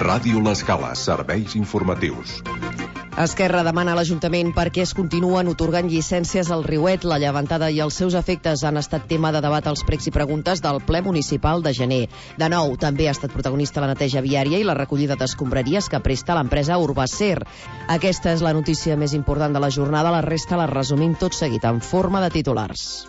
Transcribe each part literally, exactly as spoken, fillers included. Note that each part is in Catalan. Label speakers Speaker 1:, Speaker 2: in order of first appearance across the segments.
Speaker 1: Ràdio L'Escala, serveis informatius.
Speaker 2: Esquerra demana a l'Ajuntament perquè es continuen atorgant llicències al Riuet. La llevantada i els seus efectes han estat tema de debat als pregs i preguntes del ple municipal de gener. De nou, també ha estat protagonista la neteja viària i la recollida d'escombraries que presta l'empresa Urbacer. Aquesta és la notícia més important de la jornada. La resta la resumim tot seguit en forma de titulars.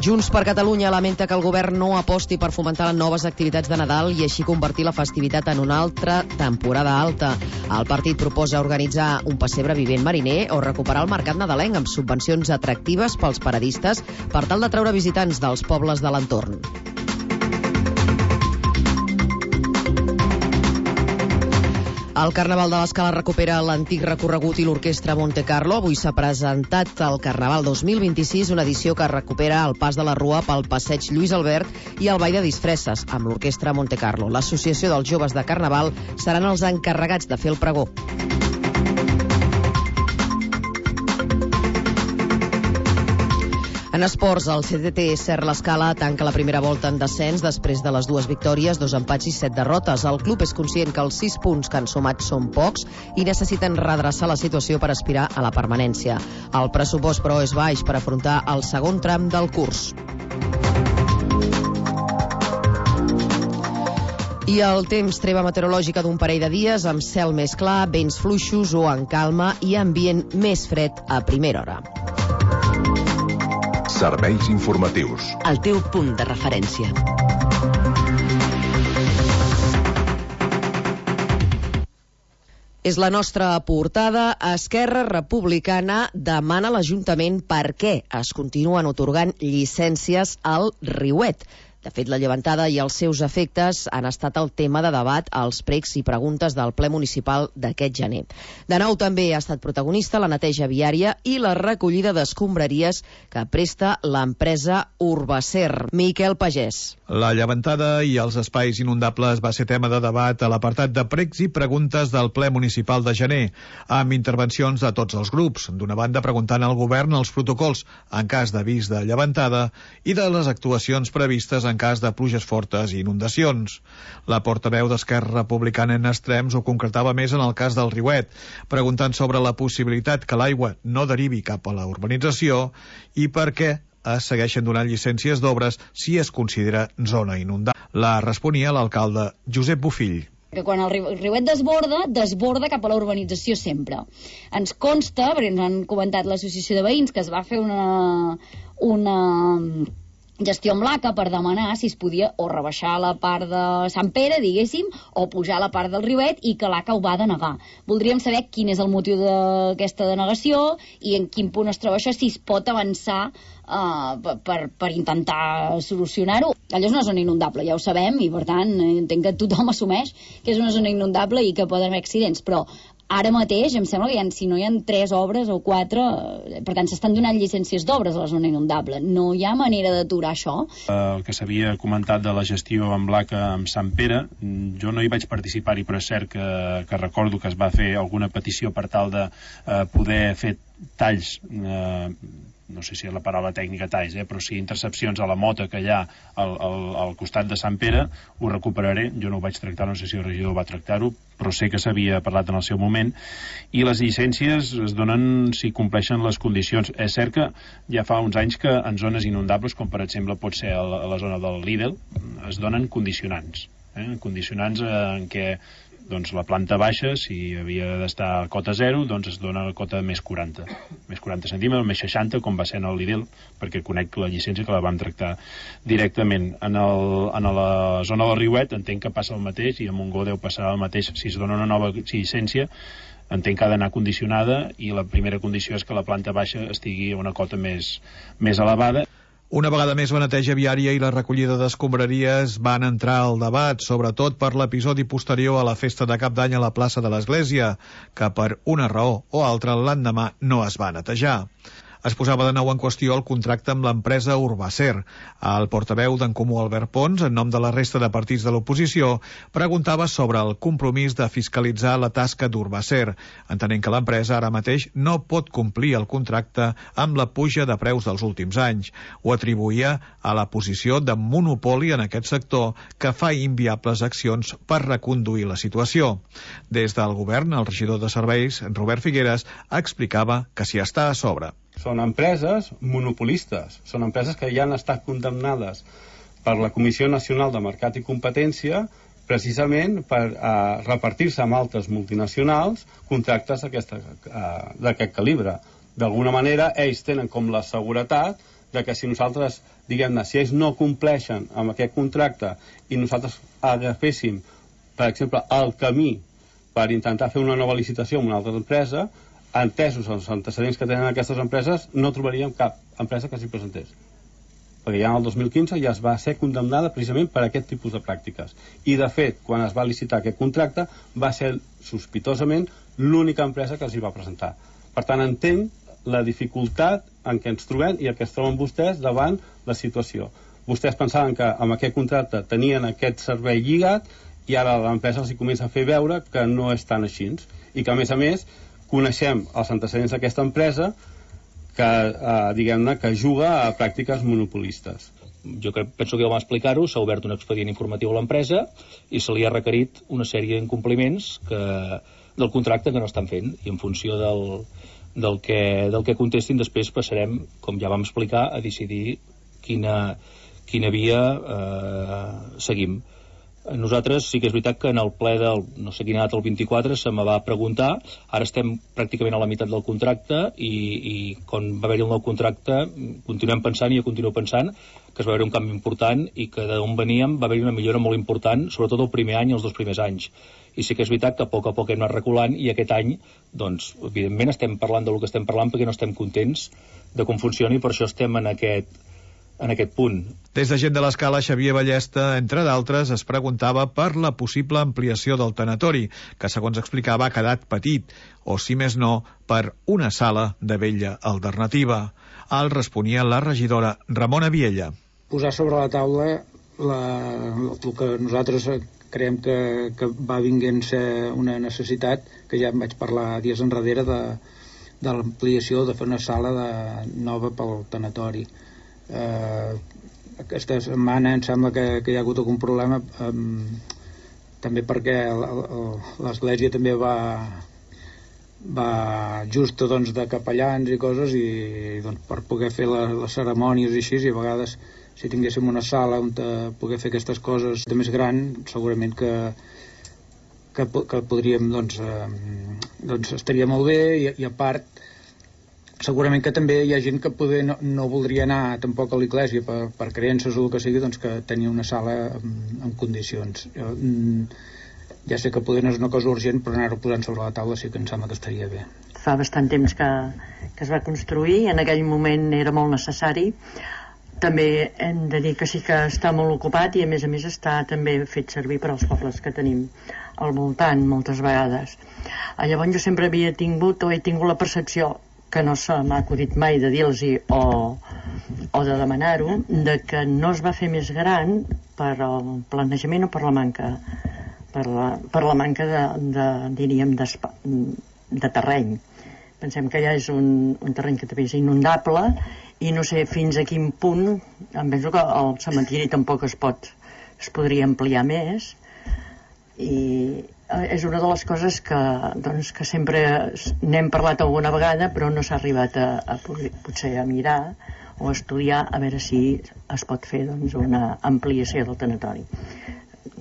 Speaker 2: Junts per Catalunya lamenta que el govern no aposti per fomentar noves activitats de Nadal i així convertir la festivitat en una altra temporada alta. El partit proposa organitzar un pessebre vivent mariner o recuperar el mercat nadalenc amb subvencions atractives pels paradistes per tal d'atraure visitants dels pobles de l'entorn. El Carnaval de l'Escala recupera l'antic recorregut i l'orquestra Monte Carlo. Avui s'ha presentat el Carnaval dos mil vint-i-sis, una edició que recupera el pas de la Rua pel passeig Lluís Albert i el ball de disfresses amb l'orquestra Monte Carlo. L'Associació dels Joves de Carnaval seran els encarregats de fer el pregó. En esports, el C D T Ser l'Escala tanca la primera volta en descens després de les dues victòries, dos empats i set derrotes. El club és conscient que els sis punts que han sumat són pocs i necessiten redreçar la situació per aspirar a la permanència. El pressupost, però, és baix per afrontar el segon tram del curs. I el temps, treva meteorològica d'un parell de dies amb cel més clar, vents fluixos o en calma i ambient més fred a primera hora.
Speaker 1: Serveis informatius.
Speaker 3: El teu punt de referència.
Speaker 2: És la nostra portada. Esquerra Republicana demana a l'Ajuntament per què es continuen atorgant llicències al Riuet. De fet, la llevantada i els seus efectes han estat el tema de debat als pregs i preguntes del ple municipal d'aquest gener. De nou també ha estat protagonista la neteja viària i la recollida d'escombraries que presta l'empresa Urbacer. Miquel Pagès.
Speaker 4: La llevantada i els espais inundables va ser tema de debat a l'apartat de pregs i preguntes del ple municipal de gener, amb intervencions de tots els grups. D'una banda, preguntant al govern els protocols en cas d'avís de llevantada i de les actuacions previstes en cas de pluges fortes i inundacions. La portaveu d'Esquerra Republicana en extrems ho concretava més en el cas del Riuet, preguntant sobre la possibilitat que l'aigua no derivi cap a la urbanització i per què es segueixen donant llicències d'obres si es considera zona inundada. La responia l'alcalde Josep Bofill.
Speaker 5: Que quan el riuet desborda, desborda cap a la urbanització sempre. Ens consta, perquè ens han comentat l'associació de veïns, que es va fer una... una gestió amb l'A C A per demanar si es podia o rebaixar la part de Sant Pere, diguéssim, o pujar la part del Riuet, i que l'A C A ho va denegar. Voldríem saber quin és el motiu d'aquesta denegació i en quin punt es troba això, si es pot avançar uh, per, per intentar solucionar-ho. Allò és una zona inundable, ja ho sabem, i per tant entenc que tothom assumeix que és una zona inundable i que poden haver accidents, però ara mateix em sembla que hi ha, si no hi ha tres obres o quatre, per tant s'estan donant llicències d'obres a la zona inundable. No hi ha manera d'aturar això?
Speaker 6: El que s'havia comentat de la gestió amb l'A C A amb Sant Pere, jo no hi vaig participar-hi, però és cert que, que recordo que es va fer alguna petició per tal de eh, poder fer talls, eh, no sé si és la paraula tècnica talls, eh, però sí intercepcions a la mota que hi ha al, al, al costat de Sant Pere. Ho recuperaré, jo no ho vaig tractar, no sé si el regidor va tractar-ho, però sé que s'havia parlat en el seu moment, i les llicències es donen si compleixen les condicions. És cert que ja fa uns anys que en zones inundables, com per exemple pot ser a la, a la zona del Lidl, es donen condicionants, eh, condicionants en què doncs la planta baixa, si havia d'estar a cota zero, doncs es dona a cota més quaranta, més quaranta centímetres, més seixanta, com va ser en el Lidl, perquè conec la llicència que la vam tractar directament. En, el, en la zona del Riuet entenc que passa el mateix, i a Montgó deu passar el mateix. Si es dona una nova llicència, entenc que ha d'anar condicionada, i la primera condició és que la planta baixa estigui a una cota més, més elevada.
Speaker 4: Una vegada més, la neteja viària i la recollida d'escombraries van entrar al debat, sobretot per l'episodi posterior a la festa de Cap d'Any a la plaça de l'Església, que per una raó o altra l'endemà no es va netejar. Es posava de nou en qüestió el contracte amb l'empresa Urbacer. El portaveu d'en Comú, Albert Pons, en nom de la resta de partits de l'oposició, preguntava sobre el compromís de fiscalitzar la tasca d'Urbacer, entenent que l'empresa ara mateix no pot complir el contracte amb la puja de preus dels últims anys. Ho atribuïa a la posició de monopoli en aquest sector que fa inviables accions per reconduir la situació. Des del govern, el regidor de serveis, Robert Figueres, explicava que s'hi està a sobre.
Speaker 7: Són empreses monopolistes, són empreses que ja han estat condemnades per la Comissió Nacional de Mercat i Competència precisament per uh, repartir-se amb altres multinacionals contractes d'aquest calibre. D'alguna manera, ells tenen com la seguretat de que si nosaltres, diguem-ne, si ells no compleixen amb aquest contracte i nosaltres agaféssim, per exemple, el camí per intentar fer una nova licitació amb una altra empresa, entesos els antecedents que tenen aquestes empreses, no trobaríem cap empresa que s'hi presentés. Perquè ja en el dos mil quinze ja es va ser condemnada precisament per aquest tipus de pràctiques. I, de fet, quan es va licitar aquest contracte, va ser sospitosament l'única empresa que s'hi va presentar. Per tant, entenc la dificultat en què ens trobem i en què es troben vostès davant la situació. Vostès pensaven que amb aquest contracte tenien aquest servei lligat i ara l'empresa els hi comença a fer veure que no és tan així. I que, a més a més, coneixem els antecedents d'aquesta empresa que, eh, diguem-ne, que juga a pràctiques monopolistes.
Speaker 8: Jo crec, penso que ja vam explicar-ho, s'ha obert un expedient informatiu a l'empresa i se li ha requerit una sèrie d'incompliments que, del contracte que no estan fent, i en funció del, del, que, del que contestin després passarem, com ja vam explicar, a decidir quina, quina via eh, seguim. Nosaltres sí que és veritat que en el ple del, no sé quina data, el vint-i-quatre, se me va preguntar, ara estem pràcticament a la meitat del contracte i, i quan va haver-hi el nou contracte continuem pensant, i jo continuo pensant que es va haver un canvi important i que d'on veníem va haver-hi una millora molt important, sobretot el primer any i els dos primers anys. I sí que és veritat que a poc a poc hem anat reculant i aquest any, doncs, evidentment estem parlant del que estem parlant perquè no estem contents de com funciona i per això estem en aquest en aquest punt.
Speaker 4: Des de Gent de l'Escala, Xavier Ballesta, entre d'altres, es preguntava per la possible ampliació del tanatori, que segons explicava ha quedat petit, o si més no, per una sala de vella alternativa. Al responia la regidora Ramona Viella.
Speaker 9: Posar sobre la taula la, el que nosaltres creiem que, que va vinguent ser una necessitat, que ja em vaig parlar dies enrere de, de l'ampliació, de fer una sala de, nova pel tanatori. Eh, aquesta setmana em sembla que, que hi ha hagut algun problema eh, també perquè l'església també va va justa doncs, de capellans i coses i doncs, per poder fer la, les cerimònies i així, i a vegades si tinguéssim una sala on poder fer aquestes coses de més gran segurament que que, que podríem doncs, eh, doncs estaria molt bé i, i a part segurament que també hi ha gent que poder no, no voldria anar tampoc a l'església per, per creences o el que sigui, doncs que tenia una sala en, en condicions. Jo, ja sé que poder no és una cosa urgent, però anar-ho posant sobre la taula sí que em sembla que estaria bé.
Speaker 10: Fa bastant temps que, que es va construir, en aquell moment era molt necessari. També hem de dir que sí que està molt ocupat i a més a més està també fet servir per als pobles que tenim al voltant moltes vegades. Llavors jo sempre havia tingut o he tingut la percepció que no se m'ha acudit mai de dir-los-hi o, o de demanar-ho, de que no es va fer més gran per el planejament o per la manca per la, per la manca de, de diríem, de terreny. Pensem que ja és un, un terreny que també és inundable i no sé fins a quin punt, em penso que el cementiri tampoc es pot, es podria ampliar més i és una de les coses que, doncs, que sempre n'hem parlat alguna vegada però no s'ha arribat a, a potser a mirar o a estudiar a veure si es pot fer doncs, una ampliació del tanatori.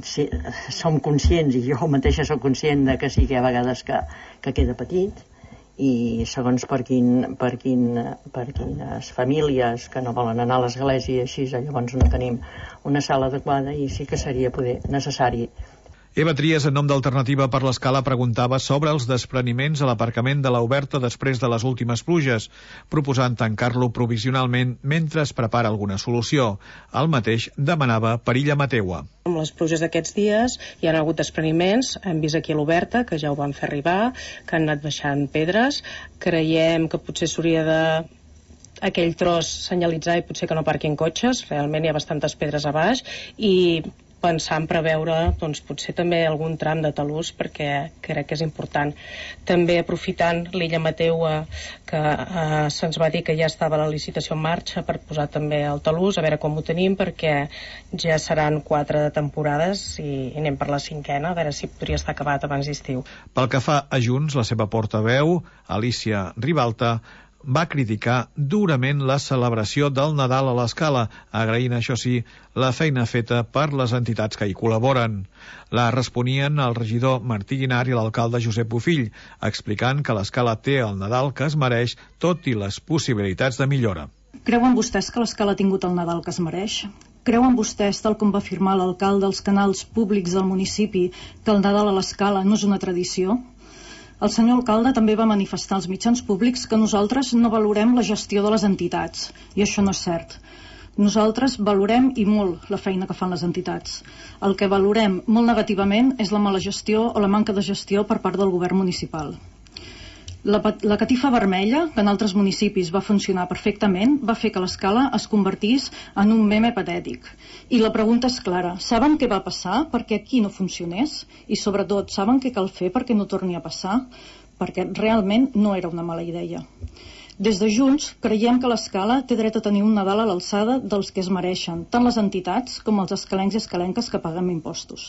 Speaker 10: Si, som conscients i jo mateixa soc conscient de que sí que hi ha vegades que, que queda petit i segons per, quin, per, quin, per quines famílies que no volen anar a l'església i així, llavors no tenim una sala adequada i sí que seria poder necessari.
Speaker 4: Eva Trias, en nom d'Alternativa per l'Escala, preguntava sobre els despreniments a l'aparcament de la Oberta després de les últimes pluges, proposant tancar-lo provisionalment mentre es prepara alguna solució. El mateix demanava per Illa Mateua.
Speaker 11: Amb les pluges d'aquests dies hi ha hagut despreniments, hem vist aquí a l'Oberta, que ja ho van fer arribar, que han anat baixant pedres. Creiem que potser s'hauria de aquell tros senyalitzar i potser que no parquin cotxes, realment hi ha bastantes pedres a baix, i pensar en preveure doncs, potser també algun tram de talús, perquè crec que és important. També aprofitant l'Illa Mateua, que eh, se'ns va dir que ja estava la licitació en marxa per posar també el talús, a veure com ho tenim, perquè ja seran quatre temporades i, i anem per la cinquena, a veure si podria estar acabat abans d'estiu.
Speaker 4: Pel que fa a Junts, la seva portaveu, Alicia Ribalta, va criticar durament la celebració del Nadal a l'Escala, agraint, això sí, la feina feta per les entitats que hi col·laboren. La responien el regidor Martí Guinar i l'alcalde Josep Bofill, explicant que l'Escala té el Nadal que es mereix, tot i les possibilitats de millora.
Speaker 12: Creuen vostès que l'Escala ha tingut el Nadal que es mereix? Creuen vostès, tal com va afirmar l'alcalde als canals públics del municipi, que el Nadal a l'Escala no és una tradició? El senyor alcalde també va manifestar als mitjans públics que nosaltres no valorem la gestió de les entitats, i això no és cert. Nosaltres valorem i molt la feina que fan les entitats. El que valorem molt negativament és la mala gestió o la manca de gestió per part del govern municipal. La, la catifa vermella, que en altres municipis va funcionar perfectament, va fer que l'Escala es convertís en un meme patètic. I la pregunta és clara. Saben què va passar perquè aquí no funcionés? I sobretot, saben què cal fer perquè no torni a passar? Perquè realment no era una mala idea. Des de Junts creiem que l'Escala té dret a tenir un Nadal a l'alçada dels que es mereixen, tant les entitats com els escalencs i escalenques que paguem impostos.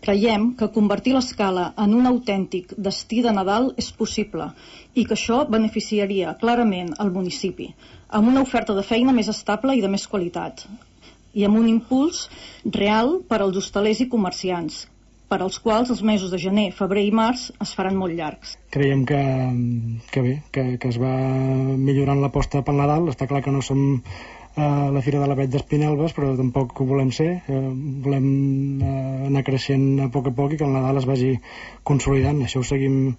Speaker 12: Creiem que convertir l'Escala en un autèntic destí de Nadal és possible i que això beneficiaria clarament el municipi, amb una oferta de feina més estable i de més qualitat, i amb un impuls real per als hostalers i comerciants, per als quals els mesos de gener, febrer i març es faran molt llargs.
Speaker 13: Creiem que, que bé, que, que es va millorant l'aposta pel Nadal. Està clar que no som a la Fira de l'Avet d'Espinelves, però tampoc ho volem ser. Eh, volem eh, anar creixent a poc a poc i que el Nadal es vagi consolidant. Això ho seguim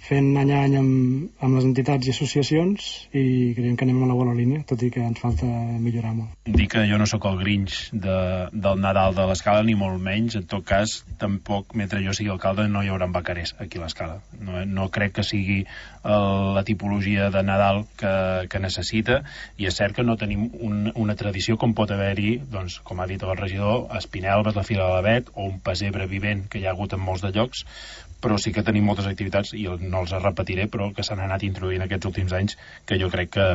Speaker 13: fent any a any amb, amb les entitats i associacions i creiem que anem a la bona línia, tot i que ens falta millorar molt.
Speaker 6: Dir que jo no sóc el Grinch de, del Nadal de l'Escala, ni molt menys. En tot cas, tampoc, mentre jo sigui alcalde, no hi haurà bacarers aquí a l'Escala. No, no crec que sigui el, la tipologia de Nadal que, que necessita, i és cert que no tenim un, una tradició com pot haver-hi, doncs, com ha dit el regidor, a Espinelves, la Fira de l'Avet, o un pessebre vivent que hi ha hagut en molts de llocs, però sí que tenim moltes activitats, i no els repetiré, però que s'han anat introduint aquests últims anys, que jo crec que,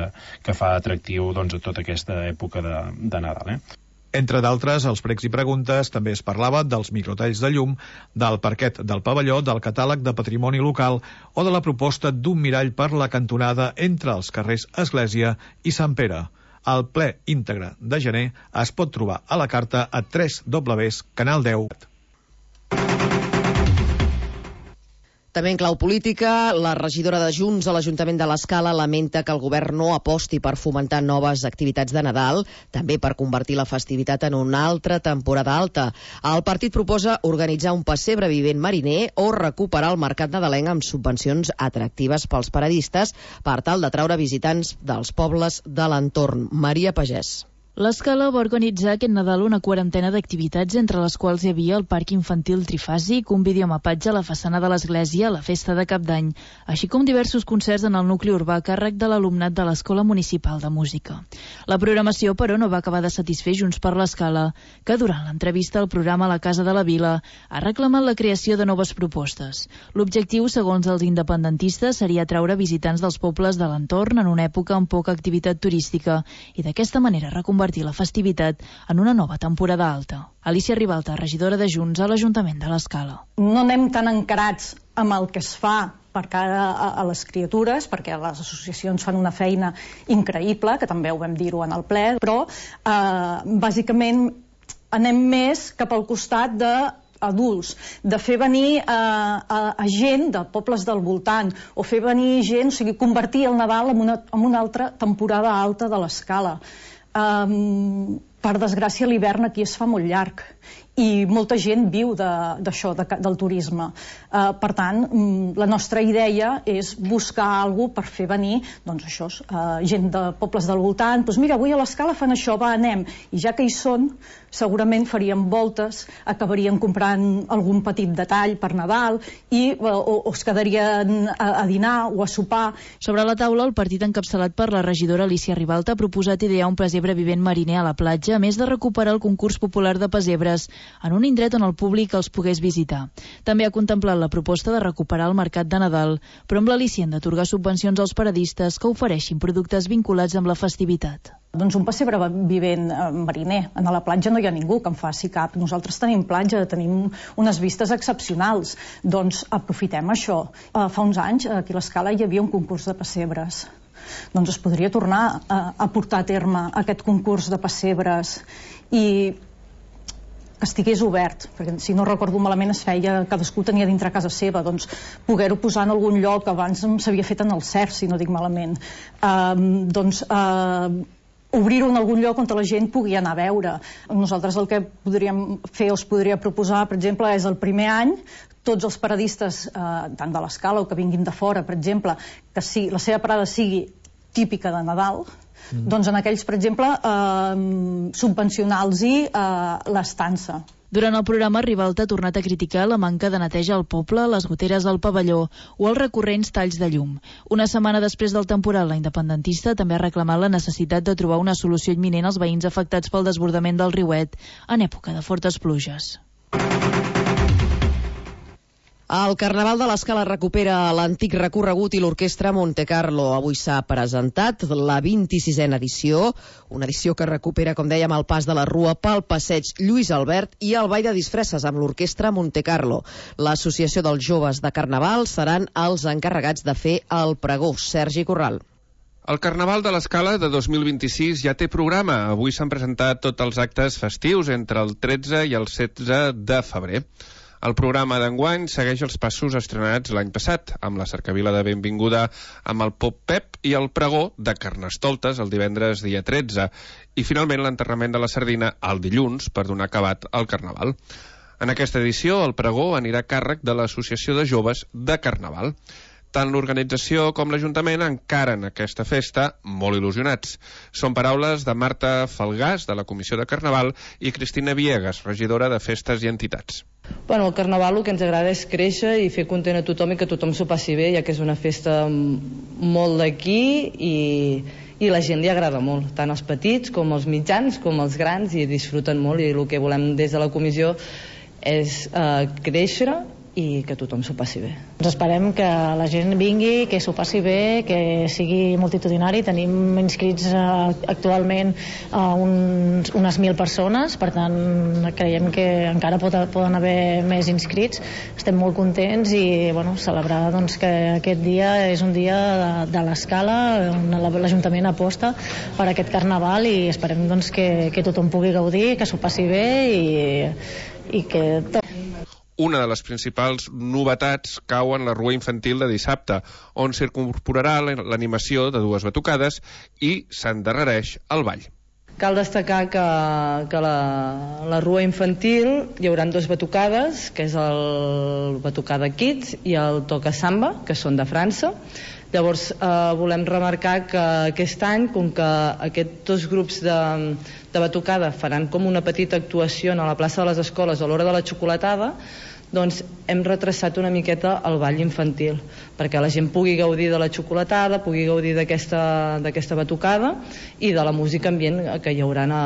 Speaker 6: que fa atractiu doncs, a tota aquesta època de, de Nadal. Eh?
Speaker 4: Entre d'altres, als pregs i preguntes també es parlava dels microtalls de llum, del parquet del pavelló, del catàleg de patrimoni local o de la proposta d'un mirall per la cantonada entre els carrers Església i Sant Pere. El ple íntegre de gener es pot trobar a la carta a tres w punt canal deu.
Speaker 2: També en clau política, la regidora de Junts a l'Ajuntament de l'Escala lamenta que el govern no aposti per fomentar noves activitats de Nadal, també per convertir la festivitat en una altra temporada alta. El partit proposa organitzar un pessebre vivent mariner o recuperar el mercat nadalenc amb subvencions atractives pels paradistes per tal d'atraure visitants dels pobles de l'entorn. Maria Pagès.
Speaker 14: L'Escala va organitzar aquest Nadal una quarantena d'activitats, entre les quals hi havia el parc infantil trifàsic, un videomapatge a la façana de l'església, la festa de Cap d'Any, així com diversos concerts en el nucli urbà a càrrec de l'alumnat de l'Escola Municipal de Música. La programació, però, no va acabar de satisfer Junts per l'Escala, que durant l'entrevista al programa La Casa de la Vila ha reclamat la creació de noves propostes. L'objectiu, segons els independentistes, seria atraure visitants dels pobles de l'entorn en una època amb poca activitat turística i d'aquesta manera reconvertir la festivitat en una nova temporada alta. Alicia Ribalta, regidora de Junts a l'Ajuntament de l'Escala.
Speaker 12: No anem tan encarats amb el que es fa per cara a, a les criatures, perquè les associacions fan una feina increïble, que també ho vam dir-ho en el ple, però eh, bàsicament anem més cap al costat de adults, de fer venir a, a, a gent de pobles del voltant, o fer venir gent, o sigui, convertir el Nadal en una, en una altra temporada alta de l'Escala. Um, per desgràcia l'hivern aquí es fa molt llarg i molta gent viu d'això, de, de, del turisme. Uh, per tant, la nostra idea és buscar alguna per fer venir, doncs això, uh, gent de pobles del voltant, doncs mira, avui a l'Escala fan això, va, anem. I ja que hi són, segurament faríem voltes, acabarien comprant algun petit detall per Nadal i, uh, o, o es quedarien a, a dinar o a sopar.
Speaker 14: Sobre la taula, el partit encapçalat per la regidora Alicia Ribalta ha proposat idear un pesebre vivent mariner a la platja, a més de recuperar el concurs popular de pesebres en un indret on el públic els pogués visitar. També ha contemplat la proposta de recuperar el mercat de Nadal, però amb l'al·licient d'atorgar subvencions als paradistes que ofereixin productes vinculats amb la festivitat.
Speaker 12: Doncs un pessebre vivent mariner. A la platja no hi ha ningú que en faci cap. Nosaltres tenim platja, tenim unes vistes excepcionals. Doncs aprofitem això. Fa uns anys aquí a l'Escala hi havia un concurs de pessebres. Doncs es podria tornar a, a portar a terme aquest concurs de pessebres i que estigués obert, perquè si no recordo malament es feia, cadascú tenia dintre casa seva, doncs poder-ho posar en algun lloc, abans s'havia fet en el C E R, si no dic malament, uh, doncs uh, obrir-ho en algun lloc on la gent pugui anar a veure. Nosaltres el que podríem fer o es podria proposar, per exemple, és el primer any tots els paradistes, eh, tant de l'Escala o que vinguin de fora, per exemple, que si la seva parada sigui típica de Nadal, mm. doncs en aquells, per exemple, eh, subvencionar-los-hi eh, l'estança.
Speaker 14: Durant el programa, Ribalta ha tornat a criticar la manca de neteja al poble, les goteres del pavelló o els recurrents talls de llum. Una setmana després del temporal, la independentista també ha reclamat la necessitat de trobar una solució imminent als veïns afectats pel desbordament del riuet en època de fortes pluges.
Speaker 2: El Carnaval de l'Escala recupera l'antic recorregut i l'Orquestra Montecarlo. Avui s'ha presentat la vint-i-sisena edició, una edició que recupera, com dèiem, el pas de la Rua pel passeig Lluís Albert i el ball de disfresses amb l'Orquestra Montecarlo. L'Associació dels Joves de Carnaval seran els encarregats de fer el pregó. Sergi Corral.
Speaker 15: El Carnaval de l'Escala de dos mil vint-i-sis ja té programa. Avui s'han presentat tots els actes festius entre el tretze i el setze de febrer. El programa d'enguany segueix els passos estrenats l'any passat, amb la cercavila de benvinguda amb el Pop Pep i el pregó de Carnestoltes el divendres dia tretze, i finalment l'enterrament de la sardina el dilluns per donar acabat al Carnaval. En aquesta edició el pregó anirà a càrrec de l'Associació de Joves de Carnaval. Tant l'organització com l'Ajuntament encaren aquesta festa molt il·lusionats. Són paraules de Marta Falgàs, de la Comissió de Carnaval, i Cristina Viegas, regidora de Festes i Entitats.
Speaker 16: Bueno, el Carnaval el que ens agrada és créixer i fer content a tothom i que tothom s'ho passi bé, ja que és una festa molt d'aquí i, i la gent li agrada molt, tant els petits com els mitjans com els grans, i disfruten molt, i el que volem des de la comissió és eh, créixer i que tothom s'ho passi bé.
Speaker 17: Ens esperem que la gent vingui, que s'ho passi bé, que sigui multitudinari. Tenim inscrits uh, actualment uh, uns, unes mil persones, per tant creiem que encara pot, poden haver més inscrits. Estem molt contents i bueno, celebrar doncs, que aquest dia és un dia de, de l'Escala, on l'Ajuntament aposta per aquest Carnaval, i esperem doncs, que, que tothom pugui gaudir, que s'ho passi bé i, i que tot.
Speaker 15: Una de les principals novetats cau en la rua infantil de dissabte, on s'incorporarà l'animació de dues batucades i s'endarrereix el ball.
Speaker 16: Cal destacar que, que la, la rua infantil hi haurà dues batucades, que és el Batucada Kids i el Toca Samba, que són de França. Llavors eh, volem remarcar que aquest any, com que aquests dos grups de, de batucada faran com una petita actuació a la plaça de les Escoles a l'hora de la xocolatada, doncs hem retrasat una miqueta el ball infantil, perquè la gent pugui gaudir de la xocolatada, pugui gaudir d'aquesta d'aquesta batucada i de la música ambient que hi haurà a,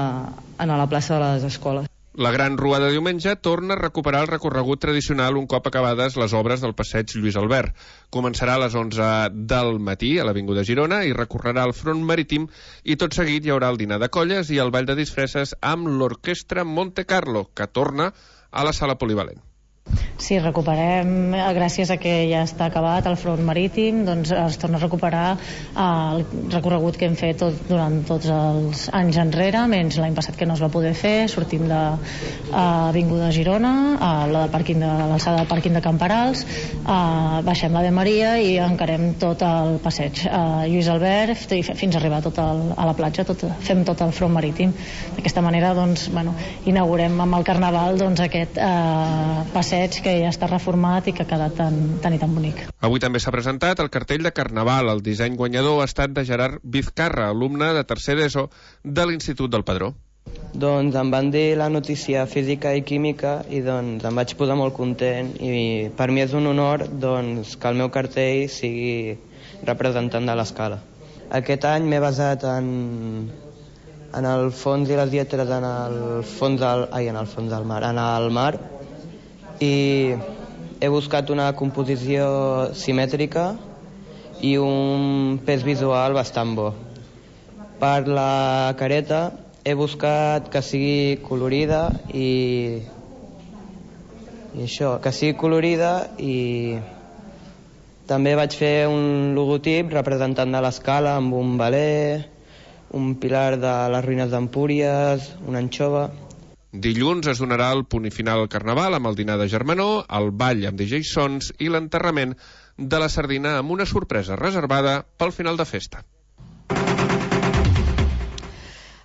Speaker 16: a la plaça de les Escoles.
Speaker 15: La gran rua de diumenge torna a recuperar el recorregut tradicional un cop acabades les obres del passeig Lluís Albert. Començarà a les onze del matí a l'Avinguda Girona i recorrerà el front marítim, i tot seguit hi haurà el dinar de colles i el ball de disfresses amb l'Orquestra Montecarlo, que torna a la sala polivalent.
Speaker 17: sí, recuperem, gràcies a que ja està acabat el front marítim, doncs es torna a recuperar el recorregut que hem fet tot, durant tots els anys enrere, menys l'any passat que no es va poder fer. Sortim de Avinguda Girona, a la del pàrquing de l'alçada del pàrquing de Camperals, a, baixem la de Maria i encarem tot el passeig a Lluís Albert i fins a arribar tot el, a la platja, tot, fem tot el front marítim. D'aquesta manera doncs, bueno, inaugurem amb el Carnaval doncs, aquest eh, passeig que ja està reformat i que ha quedat tan, tan i tan bonic.
Speaker 15: Avui també s'ha presentat el cartell de Carnaval. El disseny guanyador ha estat de Gerard Vizcarra, alumne de tercer d'ESO de l'Institut del Padró.
Speaker 18: Doncs em van dir la notícia física i química i doncs em vaig posar molt content i per mi és un honor doncs, que el meu cartell sigui representant de l'escala. Aquest any m'he basat en, en el fons i les lletres en el fons del, ai, en el fons del mar, en el mar, i he buscat una composició simètrica i un pes visual bastant bo. Per la careta he buscat que sigui colorida i, i això, que sigui colorida i també vaig fer un logotip representant de l'escala amb un veler, un pilar de les ruïnes d'Empúries, una anxova.
Speaker 15: Dilluns es donarà el punt final al Carnaval amb el dinar de germanor, el ball amb D J Sons i l'enterrament de la sardina amb una sorpresa reservada pel final de festa.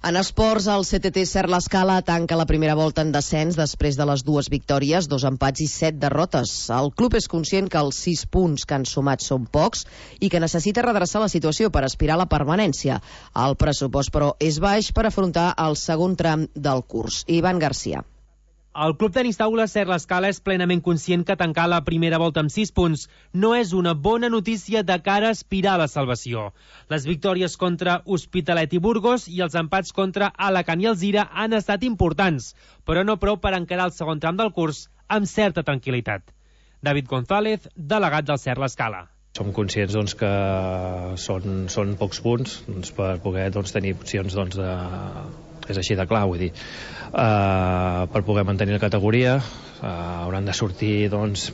Speaker 2: En esports, el C T T Ser l'Escala tanca la primera volta en descens després de les dues victòries, dos empats i set derrotes. El club és conscient que els sis punts que han sumat són pocs i que necessita redreçar la situació per aspirar a la permanència. El pressupost, però, és baix per afrontar el segon tram del curs. Ivan Garcia.
Speaker 19: El club tenis taula Ser l'Escala és plenament conscient que tancar la primera volta amb sis punts no és una bona notícia de cara a aspirar a la salvació. Les victòries contra Hospitalet i Burgos i els empats contra Alacant i Alzira han estat importants, però no prou per encarar el segon tram del curs amb certa tranquil·litat. David González, delegat del Ser l'Escala.
Speaker 8: Som conscients doncs, que són, són pocs punts doncs, per poder doncs, tenir opcions doncs, de... és així de clar, vull dir, uh, per poder mantenir la categoria uh, hauran de sortir doncs,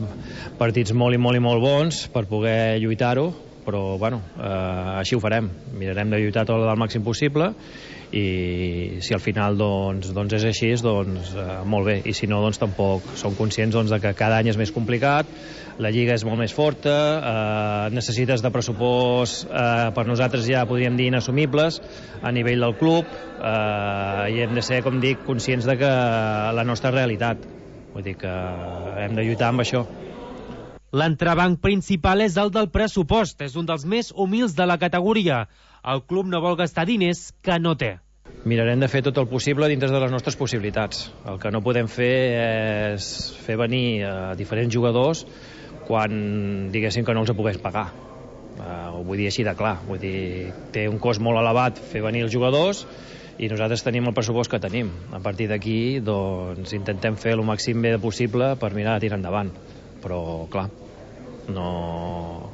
Speaker 8: partits molt i molt i molt bons per poder lluitar-ho, però bueno, uh, així ho farem, mirarem de lluitar tot el màxim possible i si al final doncs, doncs és així, doncs uh, molt bé, i si no doncs tampoc som conscients doncs, de que cada any és més complicat, la lliga és molt més forta, eh, necessites de pressupost eh, per nosaltres ja podríem dir inassumibles a nivell del club eh, i hem de ser, com dic, conscients de que la nostra realitat, vull dir que hem de lluitar amb això.
Speaker 19: L'entrebanc principal és el del pressupost, és un dels més humils de la categoria. El club no vol gastar diners que no té.
Speaker 8: Mirarem de fer tot el possible dintre de les nostres possibilitats. El que no podem fer és fer venir a diferents jugadors quan diguéssim que no els pogués pagar. Uh, ho vull dir així de clar. Vull dir, té un cost molt elevat fer venir els jugadors i nosaltres tenim el pressupost que tenim. A partir d'aquí, doncs, intentem fer el màxim bé possible per mirar a tirar endavant. Però, clar, no...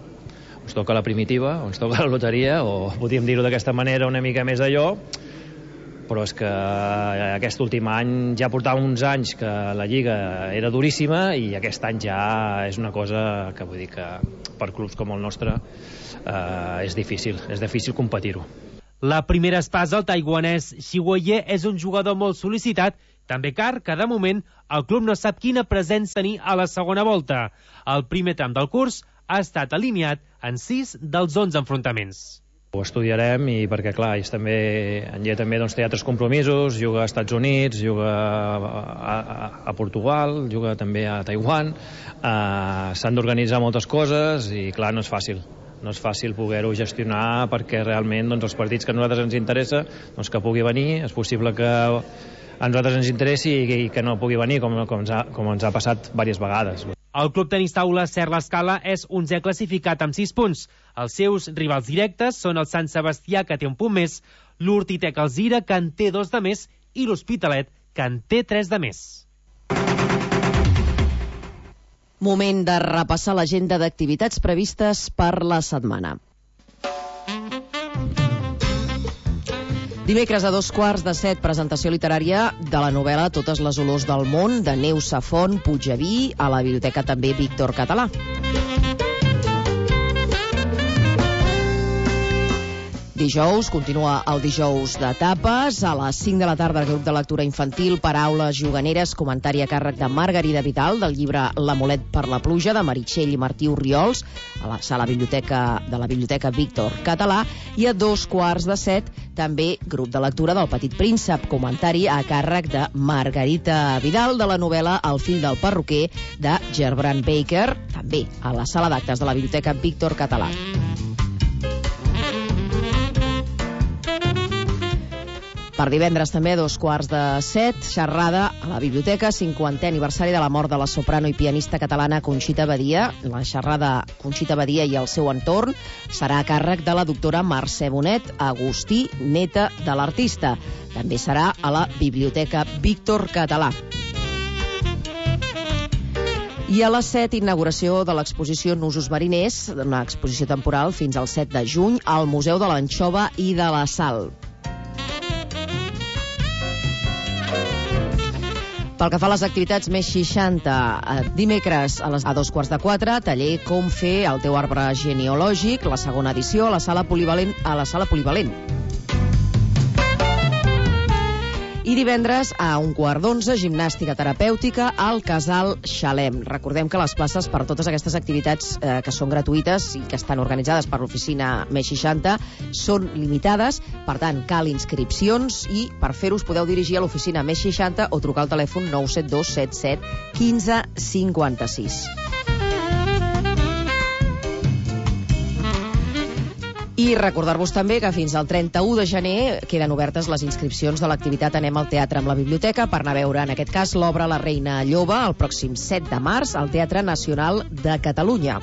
Speaker 8: ens toca la primitiva, o ens toca la loteria, o podríem dir-ho d'aquesta manera una mica més d'allò, però és que aquest últim any ja portava uns anys que la Lliga era duríssima i aquest any ja és una cosa que vull dir que per clubs com el nostre eh, és difícil, és difícil competir-ho.
Speaker 19: La primera espasa, el taiwanès Xiuye, és un jugador molt sol·licitat, també car que de moment el club no sap quina presència tenir a la segona volta. El primer tram del curs ha estat alineat en sis dels onze enfrontaments.
Speaker 8: Ho estudiarem i perquè, clar, ells també, en Lle també doncs, té altres compromisos, juga als Estats Units, juga a, a, a Portugal, juga també a Taiwan, uh, s'han d'organitzar moltes coses i, clar, no és fàcil. No és fàcil poder-ho gestionar perquè realment doncs, els partits que a nosaltres ens interessa doncs, que pugui venir, és possible que a nosaltres ens interessi i que no pugui venir, com, com, ens, ha, com ens ha passat diverses vegades.
Speaker 19: El club tenis taula Ser l'Escala és onzè classificat amb sis punts. Els seus rivals directes són el Sant Sebastià, que té un punt més, l'Hortitec Alzira, que en té dos de més, i l'Hospitalet, que en té tres de més.
Speaker 2: Moment de repassar l'agenda d'activitats previstes per la setmana. Dimecres a dos quarts de set, presentació literària de la novel·la Totes les olors del món, de Neus Safont Puigdeví, a la Biblioteca també Víctor Català. Dijous, continua el dijous de tapes. A les cinc de la tarda, el grup de lectura infantil, Paraules juganeres, comentari a càrrec de Margarida Vidal, del llibre L'amulet per la pluja, de Meritxell i Martí Orriols, a la sala biblioteca de la Biblioteca Víctor Català. I a dos quarts de set, també grup de lectura del Petit Príncep, comentari a càrrec de Margarita Vidal, de la novel·la El fill del perruquer, de Gerbrand Baker, també a la sala d'actes de la Biblioteca Víctor Català. Per divendres també, a dos quarts de set, xerrada a la biblioteca, cinquantè aniversari de la mort de la soprano i pianista catalana Conxita Badia. La xerrada Conxita Badia i el seu entorn serà a càrrec de la doctora Mercè Bonet Agustí, neta de l'artista. També serà a la Biblioteca Víctor Català. I a les set, inauguració de l'exposició Nusos mariners, una exposició temporal fins al set de juny, al Museu de l'Anxova i de la Sal. Pel que fa a les activitats més seixanta, dimecres a, les, a dos quarts de quatre, taller Com fer el teu arbre genealògic, la segona edició, a la sala polivalent. A la sala polivalent. I divendres a un quart d'onze, gimnàstica terapèutica al Casal Xalem. Recordem que les places per totes aquestes activitats eh, que són gratuïtes i que estan organitzades per l'oficina més seixanta són limitades, per tant cal inscripcions, i per fer-ho us podeu dirigir a l'oficina més seixanta o trucar al telèfon nou set dos set set un cinc cinc sis. I recordar-vos també que fins al trenta-u de gener queden obertes les inscripcions de l'activitat Anem al teatre amb la biblioteca per anar a veure, en aquest cas, l'obra La reina lloba el pròxim set de març al Teatre Nacional de Catalunya.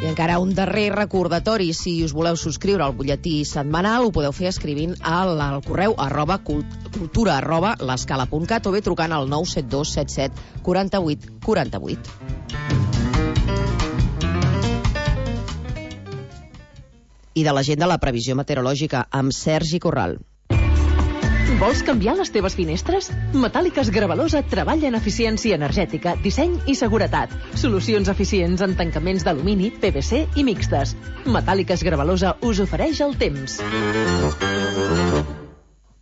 Speaker 2: I encara un darrer recordatori: si us voleu subscriure al butlletí setmanal, ho podeu fer escrivint al, al correu arroba cultura arroba l'escala punt cat o bé trucant al nou set dos set set quaranta-vuit quaranta-vuit. I de l'agenda, la previsió meteorològica amb Sergi Corral.
Speaker 3: Vols canviar les teves finestres? Metàl·liques Gravalosa treballa en eficiència energètica, disseny i seguretat. Solucions eficients en tancaments d'alumini, P V C i mixtes. Metàl·liques Gravalosa us ofereix el temps.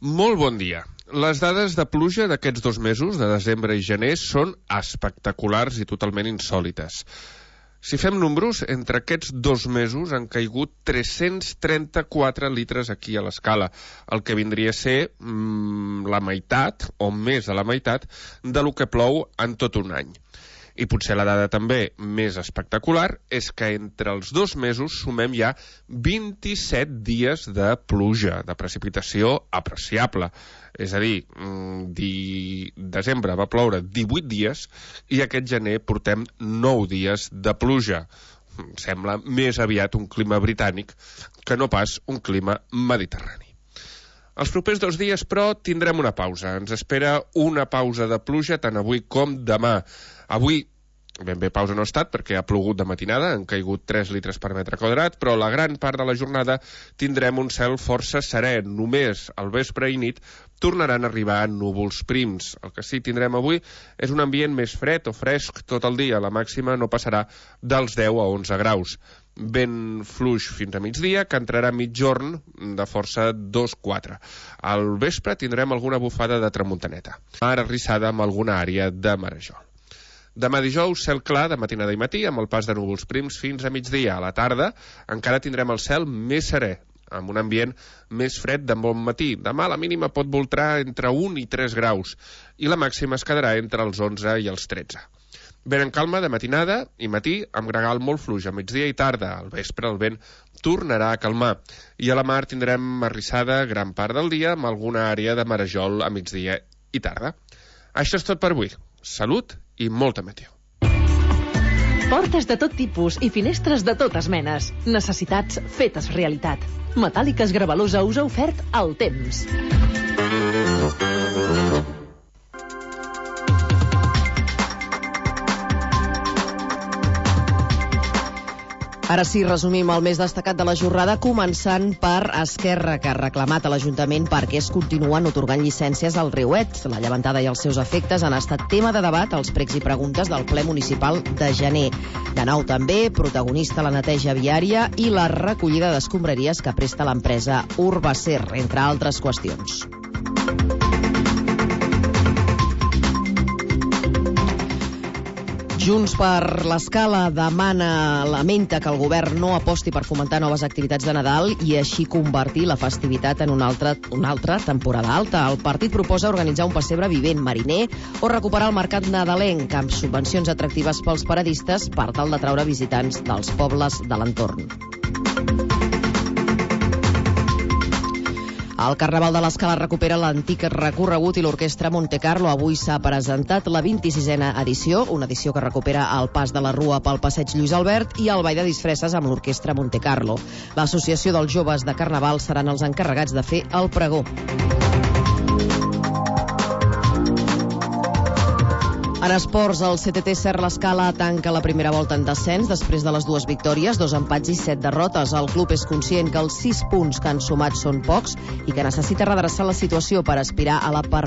Speaker 15: Molt bon dia. Les dades de pluja d'aquests dos mesos, de desembre i gener, són espectaculars i totalment insòlites. Si fem números, entre aquests dos mesos han caigut tres-cents trenta-quatre litres aquí a l'Escala, el que vindria a ser mmm, la meitat, o més de la meitat, de lo que plou en tot un any. I potser la dada també més espectacular és que entre els dos mesos sumem ja vint-i-set dies de pluja, de precipitació apreciable. És a dir, di... desembre va ploure divuit dies i aquest gener portem nou dies de pluja. Sembla més aviat un clima britànic que no pas un clima mediterrani. Els propers dos dies, però, tindrem una pausa. Ens espera una pausa de pluja tant avui com demà. Avui, ben bé pausa no ha estat perquè ha plogut de matinada, han caigut tres litres per metre quadrat, però la gran part de la jornada tindrem un cel força serè. Només al vespre i nit tornaran a arribar núvols prims. El que sí tindrem avui és un ambient més fred o fresc tot el dia. La màxima no passarà dels deu a onze graus. Vent fluix fins a migdia, que entrarà a mitjorn de força dos quatre. Al vespre tindrem alguna bufada de tramuntaneta. Mar arrissada amb alguna àrea de marejol. Demà dijous, cel clar de matinada i matí, amb el pas de núvols prims fins a migdia. A la tarda encara tindrem el cel més serè, amb un ambient més fred de bon matí. Demà la mínima pot voltar entre un i tres graus i la màxima es quedarà entre els onze i els tretze. Vent en calma de matinada i matí, amb gregal molt fluix a migdia i tarda. Al vespre el vent tornarà a calmar i a la mar tindrem arrissada gran part del dia amb alguna àrea de marejol a migdia i tarda. Això és tot per avui. Salut i molta meteo.
Speaker 3: Portes de tot tipus i finestres de totes menes. Necessitats fetes realitat. Metàl·liques Gravalosa us ha ofert el temps.
Speaker 2: Ara sí, resumim el més destacat de la jornada, començant per Esquerra, que ha reclamat a l'Ajuntament perquè es continuen otorgant llicències al Riuet. La llevantada i els seus efectes han estat tema de debat als pregs i preguntes del ple municipal de gener. De nou també, protagonista la neteja viària i la recollida d'escombraries que presta l'empresa Urbacer, entre altres qüestions. Junts per l'Escala demana, lamenta que el govern no aposti per fomentar noves activitats de Nadal i així convertir la festivitat en una altra, una altra temporada alta. El partit proposa organitzar un pessebre vivent mariner o recuperar el mercat nadalenc amb subvencions atractives pels paradistes per tal d'atraure visitants dels pobles de l'entorn. El Carnaval de l'Escala recupera l'antic recorregut i l'Orquestra Montecarlo. Avui s'ha presentat la vint-i-sisena edició, una edició que recupera el pas de la Rua pel passeig Lluís Albert i el ball de disfresses amb l'Orquestra Montecarlo. L'Associació dels Joves de Carnaval seran els encarregats de fer el pregó. En esports, el C T T Ser l'Escala tanca la primera volta en descens després de les dues victòries, dos empats i set derrotes. El club és conscient que els sis punts que han sumat són pocs i que necessita redreçar la situació per aspirar a la permanència.